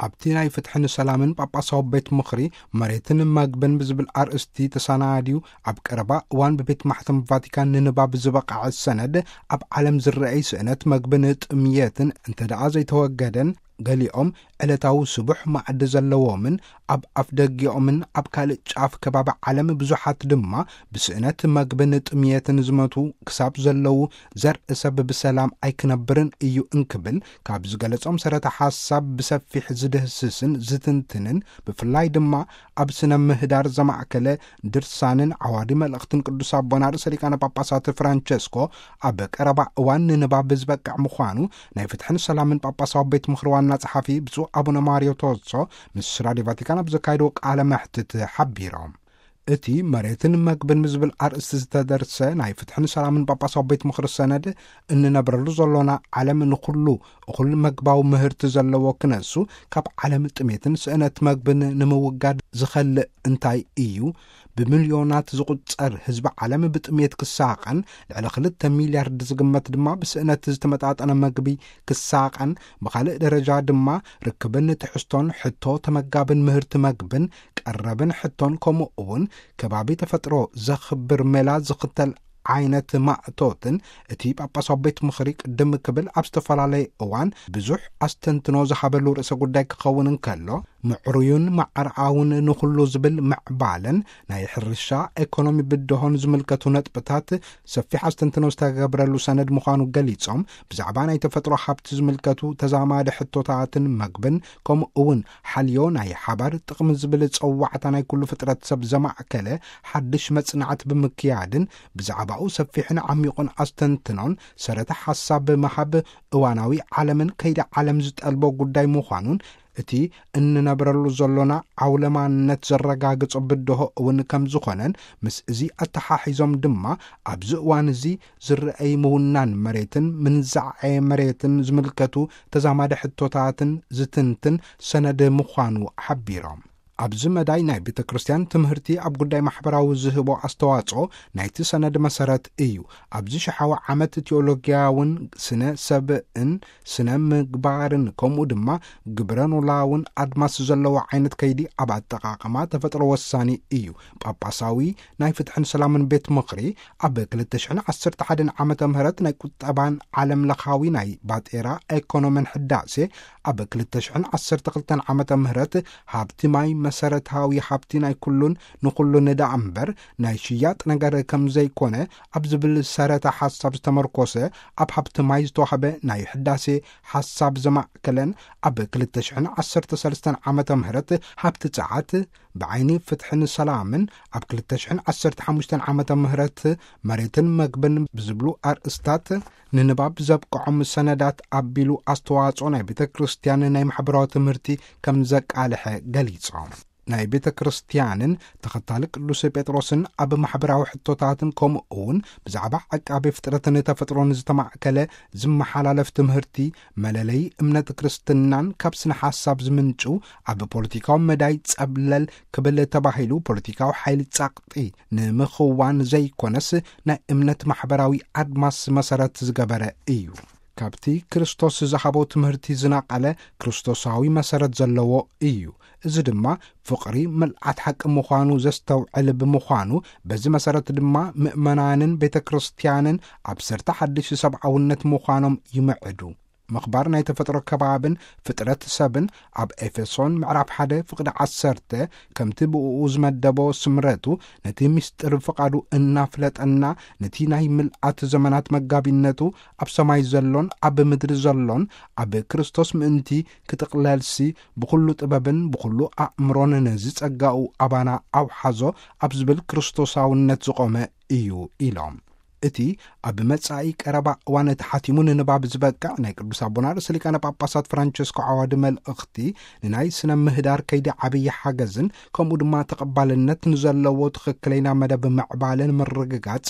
ኣብቲ ናይ ፍትሕን ሰላምን ጳጳሳዊ ቤት ምኽሪ፣ መሬትን መግብን ብዝብል ኣርእስቲ ተሰናድዩ ኣብ ቀረባ እዋን ብቤት ማሕተም ቫቲካን ንንባብ ዝበቕዐ ሰነድ፣ ኣብ ዓለም ዝረኣይ ስእነት መግብን ጥምየትን እንተ ደኣ ዘይተወገደን፣ ገሊኦም ዕለታዊ ስቡሕ ማዕዲ ዘለዎምን ኣብ ኣፍደጊኦምን ኣብ ካልእ ጫፍ ከባቢ ዓለም ብዙሓት ድማ ብስእነት መግብን ጥምየትን ዝመቱ ክሳብ ዘለዉ ዘርኢ ሰብ ብሰላም ኣይክነብርን እዩ እንክብል ካብ ዝገለጾም ሰረተ ሓሳብ ብሰፊሕ ዝድህስስን ዝትንትንን፣ ብፍላይ ድማ ኣብ ስነ ምህዳር ዘማእከለ ድርሳንን ዓዋዲ መልእኽትን ቅዱስ ኣቦና ርእሰ ሊቃነ ጳጳሳት ፍራንቸስኮ ኣብ ቀረባ እዋን ንንባብ ዝበቅዕ ምዃኑ ናይ ፍትሕን ሰላምን ጳጳሳዊ ቤት ምኽሪ ዋና ጸሓፊ ብፁዕ ኣቡነ ማርዮ ቶዞ ምስ ራድዮ ቫቲካን ኣብ ዘካየድዎ ቃለ መሕትት ሓቢሮም። እቲ መሬትን መግብን ብዝብል ኣርእስቲ ዝተደርሰ ናይ ፍትሕን ሰላምን ጳጳሳዊ ቤት ምኽሪ ሰነድ፣ እንነብረሉ ዘሎና ዓለም ንኹሉ እኹል መግባዊ ምህርቲ ዘለዎ ክነሱ፣ ካብ ዓለም ጥሜትን ስእነት መግብን ንምውጋድ ዝኸልእ እንታይ እዩ? ብሚልዮናት ዝቑጸር ህዝቢ ዓለም ብጥሜት ክሳቐን፣ ልዕሊ ክልተ ሚልያርድ ዝግመት ድማ ብስእነት ዝተመጣጠነ መግቢ ክሳቐን፣ ብኻልእ ደረጃ ድማ ርክብን ትሕዝቶን ሕቶ ተመጋብን ምህርቲ መግብን ቀረብን ሕቶን፣ ከምኡ እውን ከባቢ ተፈጥሮ ዘኽብር ሜላ ዝኽተል ዓይነት ማእቶትን እቲ ጳጳሳዊ ቤት ምኽሪ ቅድም ክብል ኣብ ዝተፈላለየ እዋን ብዙሕ ኣስተንትኖ ዝሃበሉ ርእሰ ጉዳይ ክኸውን እንከሎ፣ ምዕሩዩን ማዕርኣውን ንኹሉ ዝብል ምዕባለን ናይ ሕርሻ ኤኮኖሚ ብድሆን ዝምልከቱ ነጥብታት ሰፊሕ ኣስተንትኖ ዝተገብረሉ ሰነድ ምዃኑ ገሊጾም፣ ብዛዕባ ናይ ተፈጥሮ ሃብቲ ዝምልከቱ ተዛማዲ ሕቶታትን መግብን፣ ከምኡ እውን ሓልዮ ናይ ሓባር ጥቕሚ ዝብል ጸዋዕታ ናይ ኩሉ ፍጥረት ሰብ ዘማእከለ ሓድሽ መጽናዕቲ ብምክያድን፣ ብዛዕባኡ ሰፊሕን ዓሚቑን ኣስተንትኖን ሰረተ ሓሳብ ብምሃብ፣ እዋናዊ ዓለምን ከይዲ ዓለም ዝጠልቦ ጉዳይ ምዃኑን፣ እቲ እንነብረሉ ዘሎና ዓውለማነት ዘረጋግጾ ብድሆ እውን ከም ዝኾነን፣ ምስ እዚ ኣተሓሒዞም ድማ ኣብዚ እዋን እዚ ዝረኣይ ምውናን መሬትን ምንዛዐ መሬትን ዝምልከቱ ተዛማዲ ሕቶታትን ዝትንትን ሰነድ ምዃኑ ሓቢሮም። ኣብዚ መዳይ ናይ ቤተ ክርስቲያን ትምህርቲ ኣብ ጉዳይ ማሕበራዊ ዝህቦ ኣስተዋጽኦ ናይቲ ሰነድ መሰረት እዩ። ኣብዚ ሽሓዊ ዓመት ቲዮሎጊያውን ስነ ሰብእን ስነ ምግባርን ከምኡ ድማ ግብረ ኖላውን ኣድማስ ዘለዎ ዓይነት ከይዲ ኣብ ኣጠቓቕማ ተፈጥሮ ወሳኒ እዩ። ጳጳሳዊ ናይ ፍትሕን ሰላምን ቤት ምኽሪ ኣብ ክልተ ሽሕን ዓሰርተ ሓደን ዓመተ ምህረት ናይ ቁጠባን ዓለም ለኻዊ ናይ ባጤራ ኤኮኖሚን ሕዳሴ፣ ኣብ ክልተ ሽሕን ዓሰርተ ክልተን ዓመተ ምህረት ሃብቲ ማይ መሰረታዊ ሃብቲ ናይ ኩሉን ንኹሉን ደኣ እምበር ናይ ሽያጥ ነገር ከም ዘይኮነ ኣብ ዝብል ሰረተ ሓሳብ ዝተመርኮሰ፣ ኣብ ሃብቲ ማይ ዝተዋህበ ናይ ሕዳሴ ሓሳብ ዘማእከለን ኣብ ክልተ ሽሕን ዓሰርተ ሰለስተን ዓመተ ምህረት ሃብቲ ጸዓት ብዓይኒ ፍትሕን ሰላምን ኣብ ክልተ ሽሕን ዓሰርተ ሓሙሽተን ዓመተ ምህረት መሬትን መግብን ብዝብሉ ኣርእስታት ንንባብ ዘብቅዖም ሰነዳት ኣቢሉ ኣስተዋጽኦ ናይ ቤተ ክርስቲያን ናይ ማሕበራዊ ትምህርቲ ከም ዘቃልሐ ገሊጾም። ናይ ቤተ ክርስቲያንን ተኸታሊ ቅዱስ ጴጥሮስን ኣብ ማሕበራዊ ሕቶታትን ከምኡ እውን ብዛዕባ ዕቃቤ ፍጥረትን ተፈጥሮን ዝተማእከለ ዝመሓላለፍ ትምህርቲ፣ መለለይ እምነት ክርስትናን ካብ ስነ ሓሳብ ዝምንጩ፣ ኣብ ፖለቲካዊ መዳይ ጸብለል ክብል ተባሂሉ ፖለቲካዊ ሓይሊ ጸቕጢ ንምኽዋን ዘይኮነስ፣ ናይ እምነት ማሕበራዊ ኣድማስ መሰረት ዝገበረ እዩ። ካብቲ ክርስቶስ ዝሃቦ ትምህርቲ ዝነቐለ ክርስቶሳዊ መሰረት ዘለዎ እዩ። እዚ ድማ ፍቕሪ ምልኣት ሓቂ ምዃኑ ዘስተውዕል ብምዃኑ፣ በዚ መሰረት ድማ ምእመናንን ቤተ ክርስቲያንን ኣብ ሰርተ ሓድሽ ሰብኣውነት ምዃኖም ይምዕዱ። ምኽባር ናይ ተፈጥሮ ከባብን ፍጥረት ሰብን፣ ኣብ ኤፌሶን ምዕራፍ ሓደ ፍቕዲ ዓሰርተ፣ ከምቲ ብእኡ ዝመደቦ ስምረቱ፣ ነቲ ምስጢር ፍቓዱ እናፍለጠና፣ ነቲ ናይ ምልኣት ዘመናት መጋቢነቱ ኣብ ሰማይ ዘሎን ኣብ ምድሪ ዘሎን ኣብ ክርስቶስ ምእንቲ ክጥቕለልሲ፣ ብኹሉ ጥበብን ብኹሉ ኣእምሮን ነዚ ጸጋኡ ኣባና ኣውሓዞ ኣብ ዝብል ክርስቶሳውነት ዝቖመ እዩ ኢሎም። እቲ ኣብ መጻኢ ቀረባ እዋን ተሓቲሙ ንንባብ ዝበቅዕ ናይ ቅዱስ ኣቦና ርእሰ ሊቃነ ጳጳሳት ፍራንቸስኮ ዓዋዲ መልእኽቲ፣ ንናይ ስነ ምህዳር ከይዲ ዓብዪ ሓገዝን ከምኡ ድማ ተቐባልነት ንዘለዎ ትኽክለኛ መደብ ምዕባለን ምርግጋጽ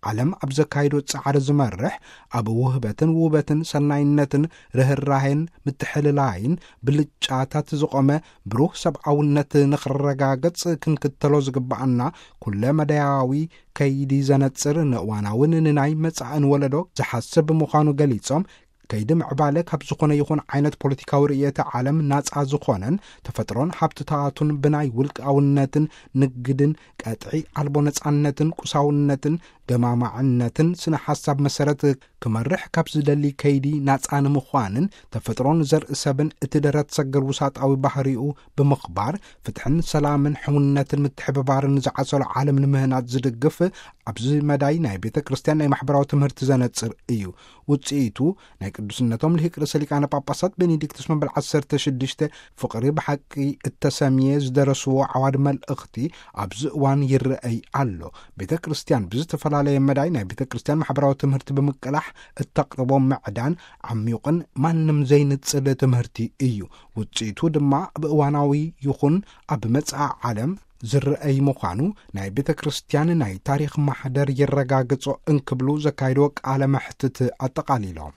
ዓለም ኣብ ዘካይዶ ጻዕሪ ዝመርሕ፣ ኣብ ውህበትን ውበትን ሰናይነትን ርህራሄን ምትሕልላይን ብልጫታት ዝቖመ ብሩህ ሰብኣውነት ንኽረጋገጽ ክንክተሎ ዝግብኣና ኩለ መዳያዊ ከይዲ ዘነጽር፣ ንእዋናውን ንናይ መጻእን ወለዶ ዝሓስብ ምዃኑ ገሊጾም፣ ከይዲ ምዕባለ ካብ ዝኾነ ይኹን ዓይነት ፖለቲካዊ ርእየተ ዓለም ናጻ ዝኾነን፣ ተፈጥሮን ሃብትታቱን ብናይ ውልቃውነትን ንግድን ቀጥዒ ኣልቦ ነጻነትን ቁሳውነትን ገማማዕነትን ስነ ሓሳብ መሰረት ክመርሕ ካብ ዝደሊ ከይዲ ናጻ ንምዃንን፣ ተፈጥሮን ዘርኢ ሰብን እቲ ደረት ሰገር ውሳጣዊ ባህሪኡ ብምኽባር፣ ፍትሕን ሰላምን ሕውነትን ምትሕብባርን ዝዓሰሎ ዓለም ንምህናጽ ዝድግፍ፣ ኣብዚ መዳይ ናይ ቤተ ክርስቲያን ናይ ማሕበራዊ ትምህርቲ ዘነጽር እዩ። ውጽኢቱ ናይ ቅዱስነቶም ልሂቅ ርእሰ ሊቃነ ጳጳሳት ቤኔዲክቱስ መበል ዓሰርተ ሽዱሽተ ፍቕሪ ብሓቂ እተሰምየ ዝደረስዎ ዓዋድ መልእኽቲ ኣብዚ እዋን ይረኣይ ኣሎ። ቤተ ክርስቲያን ብዝተፈላለየ መዳይ ናይ ቤተ ክርስቲያን ማሕበራዊ ትምህርቲ ብምቅላሕ እተቕርቦ ምዕዳን ዓሚቑን ማንም ዘይንጽል ትምህርቲ እዩ። ውጽኢቱ ድማ ኣብ እዋናዊ ይኹን ኣብ መጻኢ ዓለም ዝረኣይ ምዃኑ ናይ ቤተ ክርስቲያን ናይ ታሪኽ ማሕደር የረጋግጾ እንክብሉ ዘካየድዎ ቃለ መሕትት ኣጠቓሊሎም።